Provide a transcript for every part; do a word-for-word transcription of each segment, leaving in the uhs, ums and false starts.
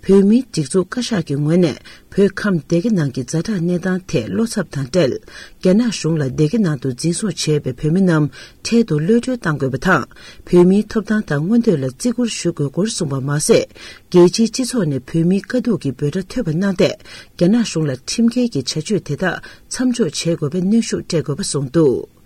བོད་མིའི་སྒྲིག་འཛུགས་བཀའ་ཤག་གི་ངོས་ནས། བོད་ཁམས་སྡེ་དགེ་ནང་གི་ཛ་དྲག་གནས་སྟངས་ཐད་བློ་འཚབ་དང་འབྲེལ། རྒྱ་ནག་གཞུང་ལ་སྡེ་དགེ་ནང་དུ་འཛིན་བཟུང་བྱས་པའི་བོད་མི་རྣམས་འཕྲལ་དུ་གློད་གྲོལ་གཏང་དགོས་པ་དང་། བོད་མིའི་ཐོབ་ཐང་དང་མངོན་འདོད་ལ་བརྩི་བཀུར་ཞུ་དགོས་སྐོར་གསུངས་པ་མ་ཟད། རྒྱལ་སྤྱིའི་སྤྱི་ཚོགས་ནས་བོད་མིའི་དཀའ་སྡུག་གི་འབོད་སྒྲ་ཐོས་པ་གནང་སྟེ། རྒྱ་ནག་གཞུང་ལ་ཁྲིམས་འགལ་གྱི་བྱ་སྤྱོད་དེ་དག་མཚམས་འཇོག་བྱེད་དགོས་པའི་གནོན་ཤུགས་སྤྲད་དགོས་པ་གསུངས་འདུག།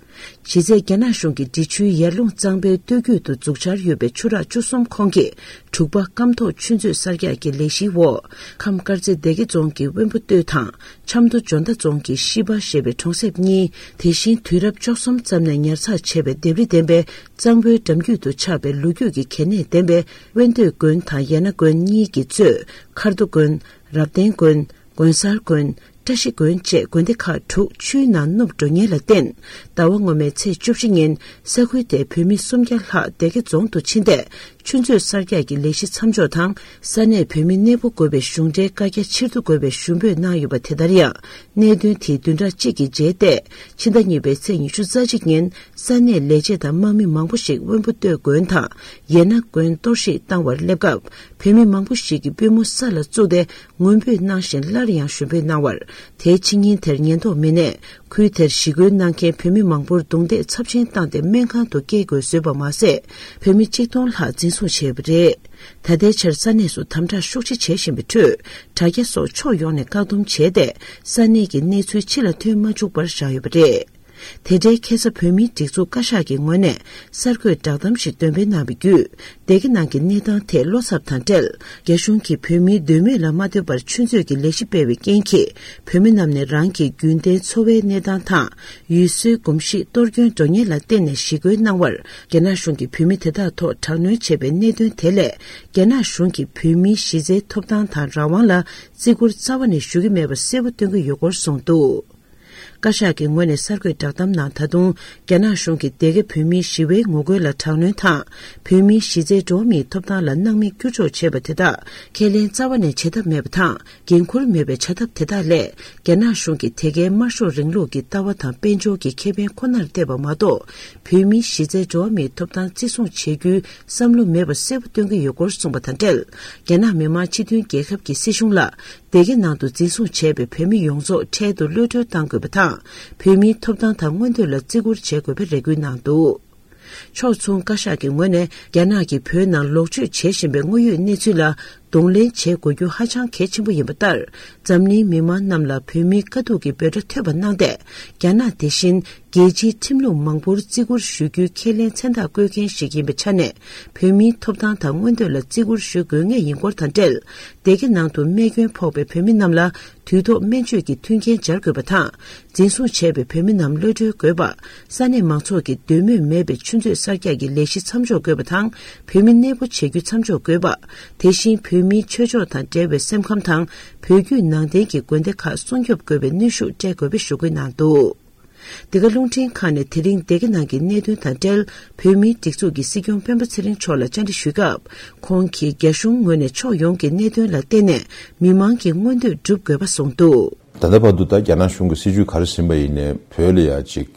གཞི་རྩའི་རྒྱ་ནག་གཞུང་གིས་འབྲི་ཆུའི་ཡར་ཀླུང་གཙང་པོའི་སྟོད་རྒྱུད་དུ་འཛུགས་འཆར་ཡོད་པའི་ཆུ་རགས་བཅུ་གསུམ་ཁོངས་ཀྱི་དྲུག་པ་སྐམ་ཐོག་ཆུ་མཛོད་གསར་རྒྱག་གི་ལས་གཞིའི་འོག། ཁམས་དཀར་མཛེས་སྡེ་དགེ་རྫོང་གི་དབོན་པོ་སྟོད་དང་ཆབ་མདོ་འཇོ་མདའ་རྫོང་གི་ཤི་པ་ཞེས་པའི་གྲོང་གསེབ་གཉིས། དེ་བཞིན་དུས་རབས་བཅུ་གསུམ་ཙམ་ནས་ཉར་ཚགས་བྱས་པའི་ལྡེབས་རིས་ལྡན་པའི་གཙང་པོའི་འགྲམ་རྒྱུད་དུ་ཆགས་པའི་ལོ་རྒྱུས་ཀྱི་གལ་གནད་ལྡན་པའི་དབོན་སྟོད་དགོན་དང་ཡ་ན་དགོན་གཉིས་ཀྱི་གཙོས་མཁར་རྡོ་དགོན། རབ་བརྟན་དགོན། དགོན་གསར་དགོན། བཀྲ་ཤིས་དགོན་བཅས་དགོན་སྡེ་ཁག་དྲུག་ཆུའི་ནང་ནུབ་འགྲོ་ཉེན་ལ་བརྟེན། ཟླ་བ་སྔོན་མའི་ཚེས་བཅུ་བཞི་ཉིན་ས་ཁུལ་དེའི་བོད་མི་སུམ་བརྒྱ་ལྷག་སྡེ་དགེ་རྫོང་དུ་ཕྱིན་ཏེ། ཆུ་མཛོད་གསར་རྒྱག་གི་ལས་གཞི་མཚམས་འཇོག་དང་། ས་གནས་བོད་མི་གནས་སྤོ་དགོས་པའི་གཞུང་འབྲེལ་བཀའ་རྒྱ་ཕྱིར་བསྡུ་དགོས་པའི་ཞུ་འབོད་གནང་ཡོད་པ་དེ་ལྟར་ཡང་། གནད་དོན་དེའི་བདུན་ཕྲག་གཅིག་གི་རྗེས་ཏེ། ཕྱི་ཟླ་གཉིས་པའི་ཚེས་ཉི་ཤུ་རྩ་གཅིག་ཉིན། ས་གནས་ལས་བྱེད་དང་དམག་མི་མང་པོ་ཞིག་དབོན་པོ་སྟོད་དགོན་དང་། ཡེ་ན་དགོན་གཏོར་བཤིག་བཏང་བར་སླེབས་སྐབས། བོད་མི་མང་པོ་ཞིག་གིས་པུས་མོ་ས་ལ་བཙུགས་ཏེ། ངུ་འབོད་གནང་བཞིན་སླར་ཡང་ཞུ་འབོད་གནང་བར། དེའི་ཕྱི་ཉིན་དེར་ཉེན་རྟོག་མི་སྣས་ཁུལ་དེར་ཞི་རྒོལ་གནང་མཁན་བོད་མི་མང་པོར་རྡུང་རྡེག་ཚབས་ཆེན་བཏང་སྟེ་སྨན་ཁང་དུ་སྐྱེལ་དགོས་བཟོས་པ་མ་ཟད། བོད་མི་གཅིག་སྟོང་ལྷག་འཛིན་བཟུང་བྱས་པ་རེད། ད་ལྟའི་ཆར་ས་གནས་སུ་དམ་དྲག་ཤུགས་ཆེ་བྱེད་བཞིན་པའི་ཁྲོད། དྲ་རྒྱ་སོགས་ཕྱོགས་ཡོངས་ནས་བཀག་སྡོམ་བྱས་ཏེ། ས་གནས་ཀྱི་གནས་ཚུལ་ཕྱི་ལ་ཐོན་མ་བཅུག་པར་བཞག་ཡོད་པ་རེད། དེ་འབྲེལ་ཁ་སང་བོད་མིའི་སྒྲིག་འཛུགས་བཀའ་ཤག་གི་ངོས་ནས་གསར་འགོད་བསྒྲགས་གཏམ་ཞིག་འདོན་སྤེལ་གནང་བའི་བརྒྱུད། སྡེ་དགེ་ནང་གི་གནས་སྟངས་ཐད་བློ་འཚབ་དང་འབྲེལ། རྒྱ་གཞུང་གིས་བོད་མིའི་འདོད་མོས་ལ་མ་ལྟོས་པར་ཆུ་མཛོད་ཀྱི་ལས་གཞི་སྤེལ་བའི་རྐྱེན་གྱིས། བོད་མི་རྣམས་ནས་རང་གི་རྒྱུན་ལྡན་འཚོ་བའི་གནས་སྟངས་དང་། ཡུལ་སྲོལ་གོམས་གཤིས་གཏོར་སྐྱོན་འགྲོ་ཉེན་ལ་བརྟེན་ནས་ཞི་རྒོལ་གནང་བར། རྒྱ་ནག་གཞུང་གིས་བོད་མི་དེ་དག་ཐོག་དྲག་གནོན་བྱས་པའི་གནད་དོན་དེ་ལས། རྒྱ་ནག་གཞུང་གིས་བོད་མིའི་གཞི་རྩའི་ཐོབ་ཐང་དང་རང་དབང་ལ་བརྩི་བཀུར་རྩ་བ་ནས་ཞུ་གི་མེད་པ་གསལ་པོ་སྟོན་གྱི་ཡོད་སྐོར་གསུངས་འདུག། བཀའ་ཤག་གི་ངོས་ནས་གསར་འགོད་བསྒྲགས་གཏམ་ནང་། ད་དུང་རྒྱ་ནག་གཞུང་གིས་སྡེ་དགེ་བོད་མིའི་ཞི་བའི་ངོ་རྒོལ་ལ་དྲག་གནོན་དང་། བོད་མིའི་གཞི་རྩའི་འགྲོ་བ་མིའི་ཐོབ་ཐང་ལ་སྣང་མེད་བསྐྱུར་འཇོག་བྱས་པ་དེ་དག་ཁས་ལེན་རྩ་བ་ནས་བྱེད་ཐབས་མེད་པ་དང་། འགན་འཁུར་མེད་པའི་བྱ་ཐབས་དེ་དག་ལས། རྒྱ་ནག་གཞུང་གིས་དེ་གའི་དམར་ཤོག་རིང་ལུགས་ཀྱི་ལྟ་བ་དང་དཔལ་འབྱོར་གྱི་ཁེ་ཕན་ཁོ་ནར་བལྟས་པ་མ་གཏོགས། བོད་མིའི་གཞི་རྩའི་འགྲོ་བ་མིའི་ཐོབ་ཐང་བརྩི་སྲུང་བྱེད་རྒྱུའི་བསམ་བློ་མེད་པ་གསལ་པོ་སྟོན་གྱི་ཡོད་སྐོར་གསུངས་པ་དང་འབྲེལ། རྒྱ་ནག་མི་དམངས་སྤྱི་མཐུན་རྒྱལ་ཁབ་ཀྱི་སྲིད་གཞུང་ལ། སྡེ་དགེ་ནང་དུ་འཛིན་བཟུང་བྱས་པའི་བོད་མི་ཡོངས་རྫོགས་འཕྲལ་དུ་གློད་གྲོལ་གཏང་དགོས་པ་དང་། བོད་མིའི་ཐོབ་ཐང་དང་མངོན་འདོད་ལ་བརྩི་བཀུར་བྱེད་དགོས་པའི་རེ་སྐུལ་གནང་འདུག། ཕྱོགས་མཚུངས་བཀའ་ཤག་གི་ངོས་ནས། རྒྱ་ནག་གིས་བོད་ནང་ལོག་སྤྱོད་བྱེད་བཞིན་པའི་དངོས་ཡོད་གནས་ཚུལ་ལ་གདོང་ལེན་བྱེད་དགོས་རྒྱུ་ཧ་ཅང་གལ་ཆེན་པོ་ཡིན་པ་ལྟར། འཛམ་གླིང་མི་མང་རྣམས་ལ་བོད་མིའི་དཀའ་སྡུག་གི་འབོད་སྒྲ་ཐོས་པ་གནང་སྟེ། རྒྱ་ནག་དེ་བཞིན་རྒྱལ་སྤྱིའི་ཁྲིམས་ལུགས་མང་པོར་བརྩི་བཀུར་ཞུ་རྒྱུའི་ཁས་ལེན་མཚན་རྟགས་བཀོད་མཁན་ཞིག་ཡིན་པའི་ཆ་ནས། བོད་མིའི་ཐོབ་ཐང་དང་མངོན་འདོད་ལ་བརྩི་བཀུར་ཞུ་དགོས་ངེས་ཡིན་སྐོར་དང་འབྲེལ། སྡེ་དགེ་ནང་དུ་རྨས་སྐྱོན་ཕོག་པའི་བོད་མི་རྣམས་ལ། དུས་ཐོག་སྨན་བཅོས་ཀྱི་མཐུན་རྐྱེན་སྦྱར་དགོས་པ་དང་། འཛིན་བཟུང་བྱས་པའི་བོད་མི་རྣམས་གློད་གྲོལ་དགོས་པ། ས་གནས་མང་ཚོགས་ཀྱི་འདོད་མོས་མེད་པའི་ཆུ་མཛོད་གསར་རྒྱག་གི་ལས་གཞི་མཚམས་འཇོག་དགོས་པ་དང་། བོད་མི་གནས་སྤོ་བྱེད་རྒྱུ་མཚམས་འཇོག་དགོས་པ། དེ་བཞིན་བོད་མིའི་ཆོས་ཕྱོགས་དང་འབྲེལ་བའི་སེམས་ཁམས་དང་། བོད་བརྒྱུད་ནང་བསྟན་གྱི་དགོན་སྡེ་ཁག་སྲུང་སྐྱོབ་དགོས་པའི་གནོན་ཤུགས་སྤྲད་དགོས་པའི་ཞུ་སྐུལ་གནང་འདུག། འདི་ག་རླུང་འཕྲིན་ཁང་ནས་དེ་རིང་སྡེ་དགེ་ནང་གི་གནད་དོན་དང་འབྲེལ། བོད་མིའི་སྒྲིག་འཛུགས་ཀྱི་སྲིད་སྐྱོང་སྤེན་པ་ཚེ་རིང་མཆོག་ལ་བཅར་འདྲི་ཞུས་སྐབས། ཁོང་གིས་རྒྱ་གཞུང་ངོས་ནས་ཕྱོགས་ཡོངས་ཀྱི་གནད་དོན་ལ་བརྟེན་ནས་མི་མང་གི་མངོན་འདོད་སྒྲུབ་དགོས་པ་གསུངས་འདུག། ད་ལྟ་བར་དུ་ད་རྒྱ་ནག་གཞུང་གི་སྲིད་བྱུས་ག་རེ་ཟིན་པ་ཡིན་ནའི་བོད་ལ་ཡ་ཅིག་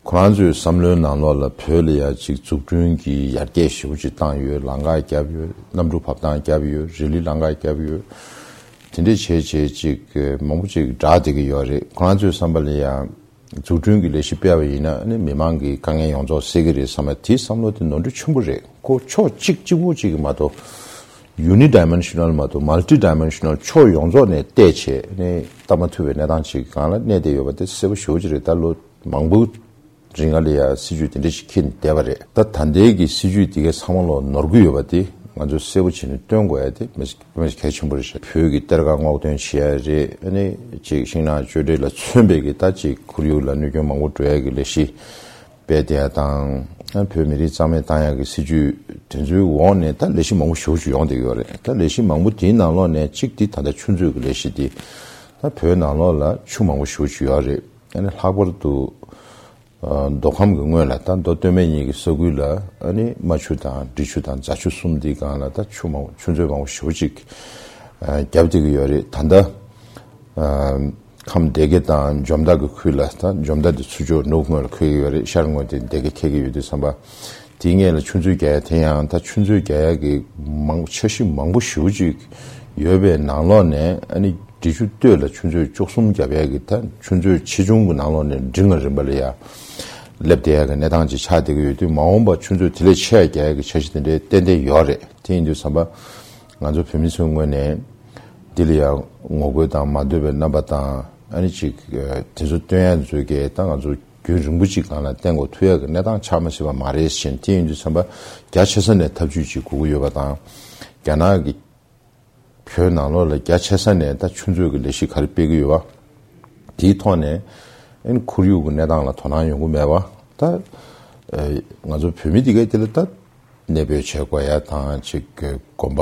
ཁོ་རང་ཚོའི་བསམ་བློའི་ནང་ལོགས་ལ་བོད་ལ་ཡ་ཅིག་འཛུགས་སྐྲུན་གྱི་ཡར་རྒྱས་ཞེ་པོ་ཅིག་བཏང་ཡོད། ལམ་ཁ་བརྒྱབ་ཡོད། གནམ་གྲུ་བབས་ཐང་བརྒྱབ་ཡོད། རི་ལི་ལམ་ཁ་བརྒྱབ་ཡོད། དེ་འདྲས་བྱས་བྱས་ཅིག་མང་པོ་ཅིག་བསྒྲགས་བསྡད་ཀྱི་ཡོད་རེད། ཁོ་རང་ཚོའི་བསམ་པ་ལ་ཡ། འཛུགས་སྐྲུན་གྱི་ལས་གཞི་སྤེལ་བ་ཡིན་ན་ནི་མི་མང་གི་དཀའ་ངལ་ཡོངས་རྫོགས་སེལ་གྱི་རེད་བསམ་པ་དེའི་བསམ་བློ་དེ་ནོར་འཁྲུལ་ཆེན་པོ་རེད། ཁོ་ཕྱོགས་གཅིག་གཅིག་པོ་གཅིག་གི་མ་གཏོགས། ཡུ་ནི་ཌའི་མེན་ཤ་ནལ་མ་གཏོགས་མལ་ཊི་ཌའི་མེན་ཤ་ནལ་ཕྱོགས་ཡོངས་རྫོགས་ནས་བལྟས་བྱས་ནི་ལྟ་མ་ཐུབ་པའི་གནས་སྟངས་ཅིག་སྒང་ལ་གནས་བསྡད་ཡོད་པ་དེ་གསལ་པོ་ཞེ་པོ་ཅིག་རེད། ད་ལོ་མང་པོ་རིང་ལ་ཡ་སྲིད་བྱུས་དེ་འདྲ་ཞིག་འཁྱེར་ནས་བསྡད་པ་རེད། ད་ད་ལྟའི་གི་སྲིད་བྱུས་དེ་གའི་ཚང་མ་ལོ་ནོར་གི་ཡོད་པ་དེ་ང་ཚོས་གསལ་པོ་བྱས་ནས་སྟོན་དགོས་ཡ་དེ་མི་དཔེ་གལ་ཆེན་པོ་རེད་ཤག་བོད་ཀྱི་གཏེར་ཁ་སྔོག་འདོན་བྱེད་ཡ་རེད། ཨ་ནི་ཅིག་ཤིང་ནགས་གཅོད་འབྲེག་ལ་མཚོན་པའི་གི་ད་ཅིག་ཁོར་ཡུག་ལ་གནོད་སྐྱོན་མང་པོ་འགྲོ་ཡ་གི་ལས་གཞི་སྤེལ་བསྡད་ཡ་དང་། ཨ་བོད་མི་རིགས་རྩ་མེད་བཏང་ཡ་གི་སྲིད་ཇུས་དེ་ཚོའི་འོག་ནས་ད་ལས་གཞི་མང་པོ་ཞེ་པོ་ཅིག་ཡོང་བསྡད་ཀྱི་ཡོད་རེད། ད་ལས་གཞི་མང་པོ་དེའི་ནང་ལོགས་ནས་གཅིག་དེ་ད་ལྟ་ཆུ་མཛོད་ཀྱི་ལས་གཞི་དེ་ད་བོད་ནང་ལོགས་ལ་ཆུ་མང་པོ་ཞེ་པོ་ཅིག་ཡོད་རེད། ཨ་ནི་ལྷག་པར་དུ། མདོ་ཁམས་ཀྱི་སྔོན་ལ་ད་མདོ་སྟོད་སྨད་གཉིས་ཀྱི་ས་ཁུལ་ལ་ཨ་ནི་རྨ་ཆུ་དང་འབྲི་ཆུ་དང་རྫ་ཆུ་གསུམ་འདིའི་སྒང་ལ་ད་ཆུ་མང་ཆུ་མཛོད་མང་པོ་ཞེ་པོ་ཅིག་བརྒྱབ་བསྡད་ཀྱི་ཡོད་རེད། ད་ལྟ་ཁམས་སྡེ་དགེ་དང་འཇོ་མདའ་གི་ཁུལ་ལ་ད་འཇོ་མདའ་འདི་ཚུར་ཕྱོགས་ནུབ་ངོས་ལ་འཁོད་ཀྱི་ཡོད་རེད། ཤར་ངོས་དེ་སྡེ་དགེ་འཁེལ་གྱི་ཡོད་དུས་ཙམ་པ་དེའི་སྔོན་ལ་ཆུ་མཛོད་རྒྱག་ཡ་དེ་ཡང་ད་ཆུ་མཛོད་རྒྱག་ཡ་གི་མང་འཆར་གཞི་མང་པོ་ཞེ་པོ་ཅིག་ ཡོད་པའི་ནང་ལོགས་ནས་ཨ་ནི་འབྲི་ཆུ་སྟོད་ལ་ཆུ་མཛོད་བཅུ་གསུམ་བརྒྱབ་ཡས་ཀྱི་ད་ཆུ་མཛོད་ཆེ་ཆུང་གི་ནང་ལོགས་ནས་འབྲིང་ལ་རིམ་པ་ལ་ཡ་སླེབས་བསྡད་ཡས་ཀྱི་གནས་སྟངས་ཅིག་ཆགས་བསྡད་ཀྱི་ཡོད་དུས། མ་འོངས་པ་ཆུ་མཛོད་དེ་ལས་ཆེ་བ་རྒྱག་ཡས་ཀྱི་འཆར་གཞི་དེ་འདྲའི་ཏན་ཏན་ཡོད་རེད། དེ་ཡིན་དུས་ཙམ་པ་ང་ཚོ་བོད་མི་ཚོའི་ངོས་ནས་འདི་ལ་ཡ་ངོ་རྒོལ་དང་མ་འདོད་པའི་རྣམ་པ་དང་ཨ་ནི་ཅིག་དེ་ཚོ་སྟོན་ཡས་ཚོའི་གི་ད་ང་ཚོ་རྒྱུན་རིང་པོ་ཅིག་སྒང་ལ་བསྟན་དགོས་ཐུག་ཡས་ཀྱི་གནས་སྟངས་ཆགས་མ་སྲིད་པ་མ་རེད་ཟེར། དེ་ཡིན་དུས་ཙམ་པ་རྒྱ་ཆེ་ས་ནས་ཐབས་ཇུས་ཅིག་དགོས་ཀྱི་ཡོད་པ་དང་། རྒྱ་ནག་གི་བོད་ནང་ལོགས་ལ་རྒྱ་ཆེ་ས་ནས་ད་ཆུ་མཛོད་ཀྱི་ལས་གཞི་ག་རེ་སྤེལ་གྱི་ཡོད་པ། དེའི་ཐོག་ནས་ཨ་ནི་ཁོར་ཡུག་གི་གནས་སྟངས་ལ་དོ་སྣང་ཡོང་གི་མེད་པ། ད་ཨ་ང་ཚོ་བོད་མི་དེ་གའི་དེ་ལ་ད་གནས་སྤོས་བྱེད་དགོས་ཡ་དང་ཅིག་གི་དགོན་པ་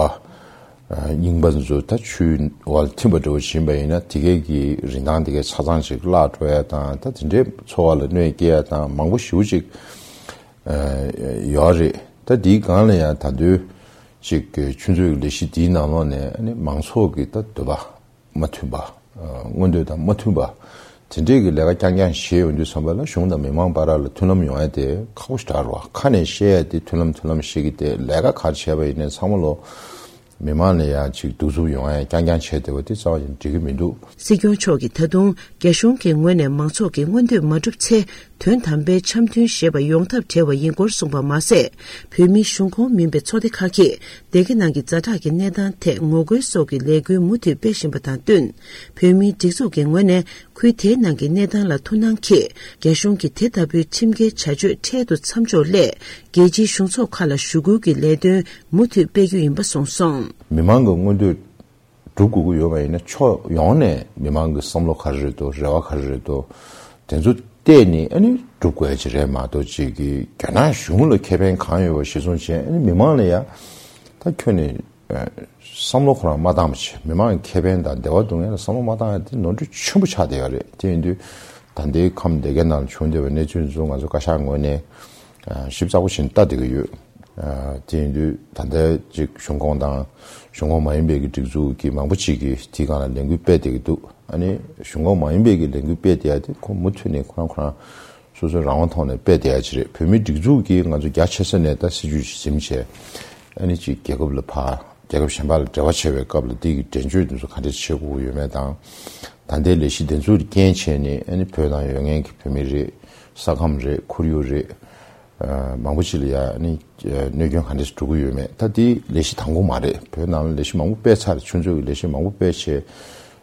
ཨ་རྙིང་པ་ཚོ་ད་ཆུའི་འོག་ལ་ཐིམ་པ་འདྲ་བོ་ཕྱིན་པ་ཡིན་ན་དེ་གའི་གི་རིན་ཐང་དེ་གའི་ཆ་ཚང་ཅིག་བརླག་འགྲོ་ཡ་དང་། ད་དེ་འདྲའི་འཚོ་བ་ལ་གནོད་སྐྱེལ་ཡ་དང་མང་པོ་ཞེ་པོ་ཅིག་ཨ་ཡོད་རེད། ད་དེའི་སྒང་ལ་ཡང་ད་དུང་ཅིག་གི་ཆུ་མཛོད་ཀྱི་ལས་གཞི་དེའི་ནང་ལོགས་ནས་ཨ་ནི་མང་ཚོགས་ཀྱི་ད་འདོད་པ་མ་མཐུན་པ། ཨ་མངོན་འདོད་དང་མ་མཐུན་པ། དེ་འདྲས་ཀྱི་ལས་ཀ་རྐྱང་རྐྱང་བྱས་ཡོང་དུས་ཙམ་པ་ལ་གཞུང་དང་མི་མང་བར་ལ་མཐུན་ལམ་ཡོང་ཡ་དེ་ཁག་པོ་ཞེ་དྲག་རེད་བ། ཁ་ནས་བཤད་ཡ་དེ་མཐུན་ལམ་མཐུན་ལམ་བཤད་ཀྱི་དེ། ལས་ཀ་ག་རེ་བྱས་པ་ཡིན་ནའི་ཚང་མ་ལོ་མི་མང་ལ་ཡ་ཅིག་གདུག་རྩུབ་ཡོང་ཡ་རྐྱང་རྐྱང་བྱས་བསྡད་པ་དེ་རྩ་བ་ནས་འགྲིག་གི་མི་འདུག། སྲིད་སྐྱོང་མཆོག་གིས་ད་དུང་རྒྱ་གཞུང་གི་ངོས་ནས་མང་ཚོགས་ཀྱི་མངོན་འདོད་མ་འགྲུབ་ཚེ། དོན་དམ་པའི་འཆམ་མཐུན་ཞེས་པ་ཡོང་ཐབས་བྲལ་བ་ཡིན་སྐོར་གསུངས་པ་མ་ཟད། བོད་མིའི་གཞུང་ཁོངས་མིན་པའི་ཚོགས་སྡེ་ཁག་གིས་སྡེ་དགེ་ནང་གི་ཛ་དྲག་གི་གནས་སྟངས་ཐད་ངོ་རྒོལ་སོགས་ཀྱི་ལས་འགུལ་མུ་མཐུད་སྤེལ་བཞིན་པ་དང་བསྟུན། བོད་མིའི་སྒྲིག་འཛུགས་ཀྱི་ངོས་ནས་ཁུལ་དེའི་ནང་གི་གནས་སྟངས་ལ་ཐུགས་སྣང་གིས་རྒྱ་གཞུང་གིས་དེ་ལྟ་བུའི་ཁྲིམས་འགལ་བྱ་སྤྱོད་འཕྲལ་དུ་མཚམས་འཇོག་སླད། རྒྱལ་སྤྱིའི་གཞུང་ཚོགས་ཁག་ལ་ཞུ་སྐུལ་གྱི་ལས་དོན་མུ་མཐུད་སྤེལ་རྒྱུ་ཡིན་པ་གསུངས་སོང་། མི་མང་གི་མངོན་འདོད་སྒྲུབ་དགོས་ཀྱི་ཡོད་པ་ཡིན་ན་ཕྱོགས་ཡོངས་ནས་མི་མང་གི་བསམ་བློ་ག་རེ་རེད་འདུག། རེ་བ་ག་རེ་རེད་འདུག། དེ་ཚོ་བལྟས་ནས་ཨ་ནི་སྒྲུབ་དགོས་ཡ་ཅིག་རེད་མ་གཏོགས། ཅིག་གི་རྒྱ་ནག་གཞུང་ལ་ཁེ་ཕན་གང་ཡོད་པ་གཞིར་བཟུང་བྱས་ཨ་ནི་མི་མང་ལ་ཡ་ད་ཁྱོན་ནས་ཨ་བསམ་བློ་ཁོ་རང་མ་བཏང་བ་བྱས། མི་མང་གི་ཁེ་ཕན་དང་བདེ་བ་སྡུག་བསྔལ་ལ་བསམ་བློ་མ་བཏང་ཡ་དེ་ནོར་འཁྲུལ་ཆེན་པོ་ཆགས་བསྡད་ཡོད་རེད། དེ་ཡིན་དུས་ད་ལྟའི་ཁམས་སྡེ་དགེ་ནང་ལ་བྱུང་བསྡད་པའི་གནས་ཚུལ་ཚོ་ང་ཚོ་བཀའ་ཤག་ངོས་ནས་ཨ་ཞིབ་ཚགས་པོ་བྱས་ནས་ལྟ་བསྡད་ཀྱི་ཡོད། ཨ་དེ་ཡིན་དུས་ད་ལྟ་ཅིག་གཞུང་ཁོངས་དང་གཞུང་ཁོངས་མ་ཡིན་པའི་གི་སྒྲིག་འཛུགས་ཀྱི་མང་པོ་ཅིག་གིས་དེའི་སྒང་ལ་ལས་འགུལ་སྤེལ་བསྡད་ཀྱི་འདུག། ཨ་ནི་གཞུང་ཁོངས་མ་ཡིན་པའི་གི་ལས་འགུལ་སྤེལ་བསྡད་ཡ་དེ་ཁོ་མུ་མཐུད་ནས་ཁོ་རང་ཁོ་རང་སོ་སོའི་རང་དབང་ཐོག་ནས་སྤེལ་བསྡད་ཡ་ཅིག་རེད། བོད་མིའི་སྒྲིག་འཛུགས་ཀྱིས་ང་ཚོ་རྒྱ་ཆེ་ས་ནས་ད་སྲིད་ཇུས་ཅིག་འཛིན་བྱས་ཨ་ནི་ཅིག་རྒྱལ་ཁབ་ལ་ཕར་རྒྱལ་ཁབ་གཞན་པ་ལ་འབྲེལ་བ་བྱེད་པའི་སྐབས་ལ་དེ་གི་འགྲན་བརྗོད་དེ་ཚོ་ག་འདྲས་བྱེད་དགོས་ཀྱི་ཡོད་མེད་དང་། ད་ལྟའི་ལས་གཞི་དེ་ཚོ་ལ་རྐྱེན་བྱས་ནས་ཨ་ནི་བོད་ནང་ཡོད་མཁན་གྱི་བོད་མི་རེད། ས་ཁམས་རེད། ཁོར་ཡུག་རེད། ཨ་མང་པོ་ཅིག་ལ་ཡ་ཨ་ནི་ཨ་གནོད་སྐྱོན་ག་འདྲས་འགྲོ་གི་ཡོད་མེད། ད་དེ་ལས་གཞི་དང་པོ་མ་རེད། བོད་ནང་ལ་ལས་གཞི་མང་པོ་སྤེལ་ཚར། ཆུ་མཛོད་ཀྱི་ལས་གཞི་མང་པོ་སྤེལ་བྱས་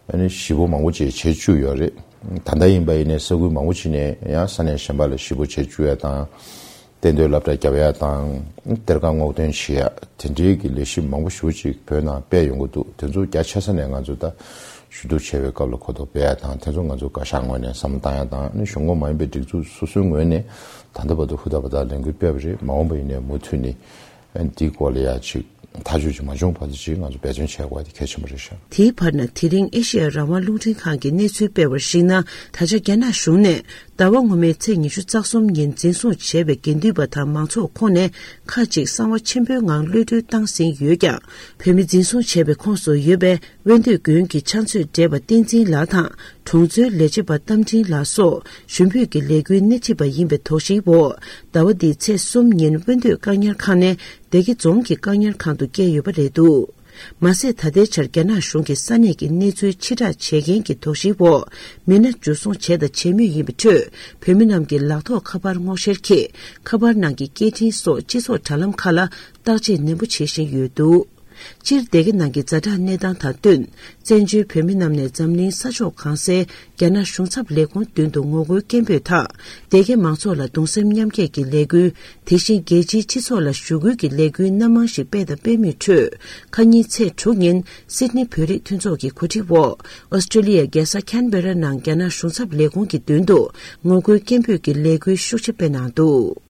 ཨ་ནི་བཞི་པོ་མང་པོ་ཅིག་བྱེད་བཅུག་ཡོད་རེད། ད་ལྟ་ཡིན་པ་ཡིན་ནའི་ས་ཁུལ་མང་པོ་ཅིག་ནས་ཡང་ས་གནས་གཞན་པ་ལ་བཞི་པོ་བྱེད་བཅུག་ཡ་དང་། གཏན་སྡོད་སློབ་གྲྭ་རྒྱབ་ཡ་དང་། གཏེར་ཁ་སྔོག་འདོན་བྱེད་ཡ། དེ་འདྲའི་གི་ལས་གཞི་མང་པོ་ཞེ་པོ་ཅིག་བོད་ནང་སྤེལ་ཡོང་གི་འདུག། དེ་ཚོ་རྒྱ་ཆེ་ས་ནས་ང་ཚོ་ད་ཞུ་གཏུག་བྱེད་པའི་སྐབས་ལ་གོ་རྟོགས་སྤེལ་ཡ་དང་། དེ་ཚོ་ང་ཚོ་བཀའ་ཤག་ངོས་ནས་བསམ་བློ་བཏང་ཡ་དང་། ཨ་ནི་གཞུང་ཁོངས་མ་ཡིན་པའི་སྒྲིག་འཛུགས་སོ་སོའི་ངོས་ནས་ད་ལྟ་བར་དུ་ཧུར་ཐག་འབད་ཐག་ལས་འགུལ་སྤེལ་བ་རེད། མ་འོངས་པ་ཡིན་ནའི་མུ་མཐུད་ནས་ཨ་ནི་འདིའི་སྐོར་ལ་ཡ་ཅིག་ཐག་གཅོད་ཅིག་མ་བྱུང་བར་དུ་ཅིག་ང་ཚོ་འབད་བརྩོན་བྱེད་དགོས་པ་དེ་གལ་ཆེན་པོ་རེད་ཤག། དེའི་བར་ན་དེ་རིང་ཨེ་ཤེ་ཡ་རང་དབང་རླུང་འཕྲིན་ཁང་གི་གནས་ཚུལ་སྤེལ་བར་གཞིགས་ན། ད་ཆ་རྒྱ་ནག་གཞུང་ནས་ཟླ་བ་སྔོན་མའི་ཚེས་ཉི་ཤུ་རྩ་གསུམ་ཉིན་འཛིན་བཟུང་བྱས་པའི་དགེ་འདུན་པ་དང་མང་ཚོགས་ཁོངས་ནས་ཁག་ཅིག་གསང་བ་ཆེན་པོའི་ངང་གློད་གྲོལ་བཏང་ཟིན་ཡོད་ཀྱང་། བོད་མི་འཛིན་བཟུང་བྱས་པའི་ཁོངས་སུ་ཡོད་པའི་དབོན་སྟོད་དགོན་གྱི་ཕྱག་མཛོད་བགྲེས་པ་བསྟན་འཛིན་ལགས་དང་། གྲོང་ཚོའི་ལས་བྱེད་པ་རྟ་མགྲིན་ལགས་སོགས་ཞུ་འབོད་ཀྱི་ལས་འགུལ་སྣེ་ཁྲིད་པ་ཡིན་པའི་དོགས་གཞིའི་འོག་ཟླ་བ་འདིའི་ཚེས་གསུམ་ཉིན་དབོན་སྟོད་བཀག་ཉར་ཁང་ནས་སྡེ་དགེ་རྫོང་གི་བཀག་ཉར་ཁང་དུ་བསྐྱལ་ཡོད་པ་རེད་འདུག། མ་ཟད་ད་ལྟའི་ཆར་རྒྱ་ནག་གཞུང་གིས་ས་གནས་ཀྱི་གནས་ཚུལ་ཕྱིར་བསྒྲགས་བྱེད་མཁན་གྱི་དོགས་གཞིའི་འོག་མི་སྣ་འཇུ་བཟུང་བྱས་དང་བྱེད་མུས་ཡིན་པའི་ཁྲོད། བོད་མི་རྣམས་ཀྱི་ལག་ཐོགས་ཁ་པར་སྔོག་བཤེར་གྱིས་ཁ་པར་ནང་གི་སྐད་འཕྲིན་སོགས་སྤྱི་ཚོགས་དྲ་ལམ་ཁག་ལ་བརྟག་དཔྱད་ནན་པོ་བྱེད་བཞིན་ཡོད་འདུག། སྤྱིར་སྡེ་དགེ་ནང་གི་ཛ་དྲག་གནས་སྟངས་དང་བསྟུན། བཙན་བྱོལ་བོད་མི་རྣམས་ནས་འཛམ་གླིང་ས་ཕྱོགས་གང་སའི་རྒྱ་ནག་གཞུང་ཚབ་ལས་ཁུངས་མདུན་དུ་ངོ་རྒོལ་སྐད་འབོད་དང་། སྡེ་དགེ་མང་ཚོགས་ལ་གདུང་སེམས་མཉམ་སྐྱེད་ཀྱི་ལས་འགུལ། དེ་བཞིན་རྒྱལ་སྤྱིའི་སྤྱི་ཚོགས་ལ་ཞུ་སྐུལ་གྱི་ལས་འགུལ་སྣ་མང་ཞིག་སྤེལ་དང་སྤེལ་མུས་ཁྲོད། ཁ་ཉིན་ཚེས་དྲུག་ཉིན་སིད་ནི་བོད་རིགས་མཐུན་ཚོགས་ཀྱི་གོ་སྒྲིག་འོག་ཨོ་སི་ཀྲི་ལི་ཡའི་རྒྱལ་ས་ཁན་བེ་ར་ནང་རྒྱ་ནག་གཞུང་ཚབ་ལས་ཁུངས་ཀྱི་མདུན་དུ་ངོ་རྒོལ་སྐད་འབོད་ཀྱི་ལས་འགུལ་ཤུགས་ཆེ་སྤེལ་གནང་འདུག།